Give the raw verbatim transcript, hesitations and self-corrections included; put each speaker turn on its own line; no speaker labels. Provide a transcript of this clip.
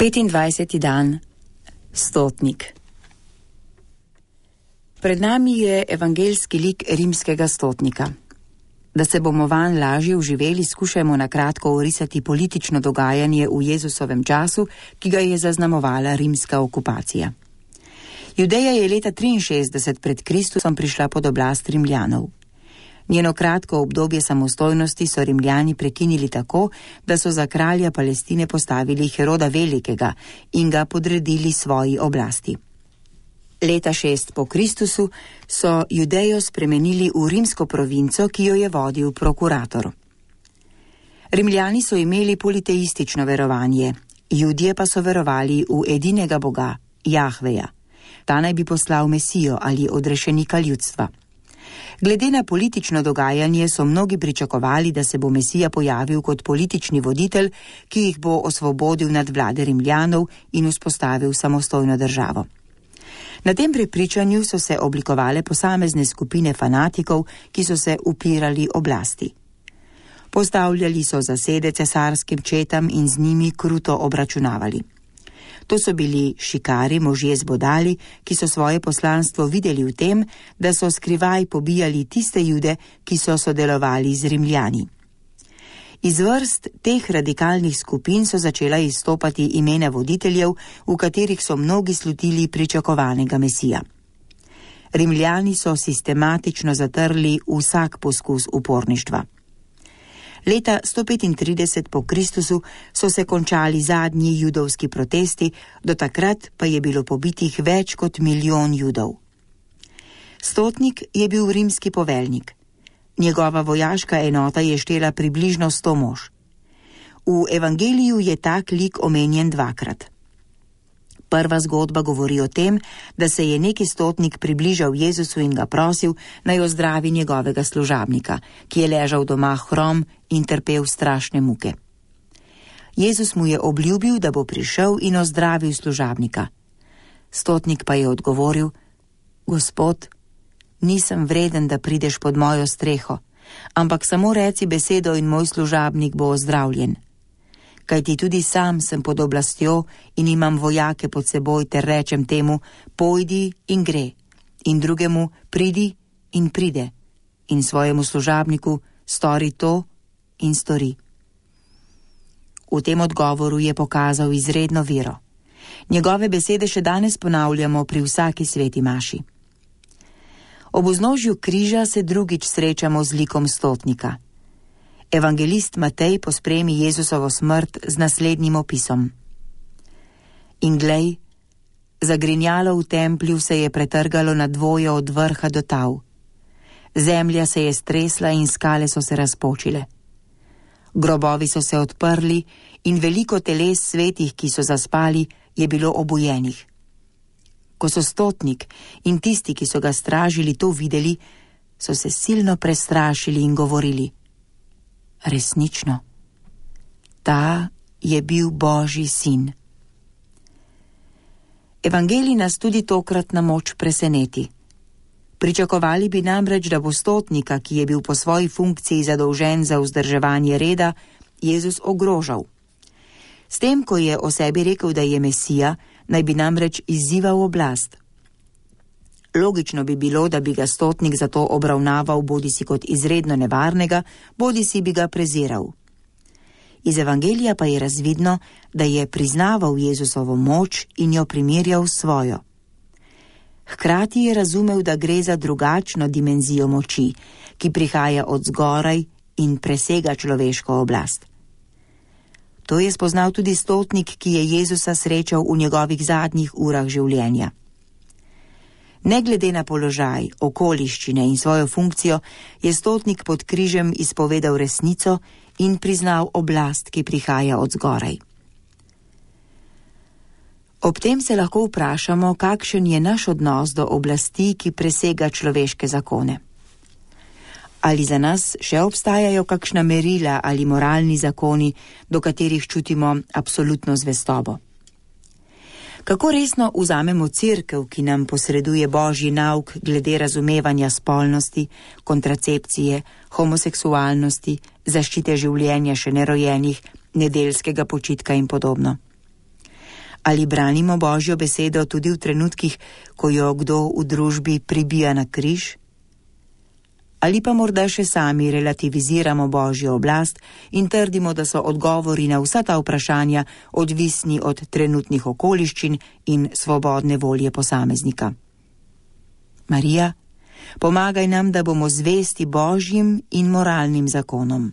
petindvajseti dan, stotnik. Pred nami je evangeljski lik rimskega stotnika. Da se bomo vanj lažje vživeli, skušajmo na kratko orisati politično dogajanje v Jezusovem času, ki ga je zaznamovala rimska okupacija. Judeja je leta triinšestdeset pred Kristusom prišla pod oblast Rimljanov. Njeno kratko obdobje samostojnosti so Rimljani prekinili tako, da so za kralja Palestine postavili Heroda Velikega in ga podredili svoji oblasti. Leta šest po Kristusu so Judejo spremenili v rimsko provinco, ki jo je vodil prokurator. Rimljani so imeli politeistično verovanje, Judje pa so verovali v edinega Boga, Jahveja. Ta naj bi poslal Mesijo ali odrešenika ljudstva. Glede na politično dogajanje so mnogi pričakovali, da se bo Mesija pojavil kot politični voditelj, ki jih bo osvobodil nad vlade Rimljanov in vzpostavil samostojno državo. Na tem prepričanju so se oblikovale posamezne skupine fanatikov, ki so se upirali oblasti. Postavljali so zasede cesarskim četam in z njimi kruto obračunavali. To so bili šikari, možje zbodali, ki so svoje poslanstvo videli v tem, da so skrivaj pobijali tiste Jude, ki so sodelovali z Rimljani. Iz vrst teh radikalnih skupin so začela izstopati imena voditeljev, v katerih so mnogi slutili pričakovanega Mesija. Rimljani so sistematično zatrli vsak poskus uporništva. Leta sto petintrideset po Kristusu so se končali zadnji judovski protesti, do takrat pa je bilo pobitih več kot milijon Judov. Stotnik je bil rimski poveljnik. Njegova vojaška enota je štela približno sto mož. V evangeliju je tak lik omenjen dvakrat. Prva zgodba govori o tem, da se je neki stotnik približal Jezusu in ga prosil, naj ozdravi njegovega služabnika, ki je ležal doma hrom in trpel strašne muke. Jezus mu je obljubil, da bo prišel in ozdravil služabnika. Stotnik pa je odgovoril: Gospod, nisem vreden, da prideš pod mojo streho, ampak samo reci besedo in moj služabnik bo ozdravljen. Kajti tudi sam sem pod oblastjo in imam vojake pod seboj, ter rečem temu, pojdi in gre, in drugemu, pridi in pride, in svojemu služabniku, stori to in stori. V tem odgovoru je pokazal izredno vero. Njegove besede še danes ponavljamo pri vsaki sveti maši. Ob vznožju križa se drugič srečamo z likom stotnika. Evangelist Matej pospremi Jezusovo smrt z naslednjim opisom. In glej, zagrinjalo v templju se je pretrgalo na dvoje od vrha do tal. Zemlja se je stresla in skale so se razpočile. Grobovi so se odprli in veliko teles svetih, ki so zaspali, je bilo obujenih. Ko so stotnik in tisti, ki so ga stražili, to videli, so se silno prestrašili in govorili: Resnično, ta je bil Božji sin. Evangelij nas tudi tokrat na moč preseneti. Pričakovali bi namreč, da bo stotnika, ki je bil po svoji funkciji zadolžen za vzdrževanje reda, Jezus ogrožal. S tem, ko je o sebi rekel, da je Mesija, naj bi namreč izzival oblast. Logično bi bilo, da bi ga stotnik zato obravnaval bodisi kot izredno nevarnega, bodisi bi ga preziral. Iz evangelija pa je razvidno, da je priznaval Jezusovo moč in jo primerjal s svojo. Hkrati je razumel, da gre za drugačno dimenzijo moči, ki prihaja od zgoraj in presega človeško oblast. To je spoznal tudi stotnik, ki je Jezusa srečal v njegovih zadnjih urah življenja. Ne glede na položaj, okoliščine in svojo funkcijo, je stotnik pod križem izpovedal resnico in priznal oblast, ki prihaja od zgoraj. Ob tem se lahko vprašamo, kakšen je naš odnos do oblasti, ki presega človeške zakone. Ali za nas še obstajajo kakšna merila ali moralni zakoni, do katerih čutimo absolutno zvestobo? Kako resno vzamemo cerkev, ki nam posreduje Božji nauk glede razumevanja spolnosti, kontracepcije, homoseksualnosti, zaščite življenja še nerojenih, nedeljskega počitka in podobno? Ali branimo Božjo besedo tudi v trenutkih, ko jo kdo v družbi pribija na križ? Ali pa morda še sami relativiziramo Božjo oblast in trdimo, da so odgovori na vsa ta vprašanja odvisni od trenutnih okoliščin in svobodne volje posameznika? Marija, pomagaj nam, da bomo zvesti Božjim in moralnim zakonom.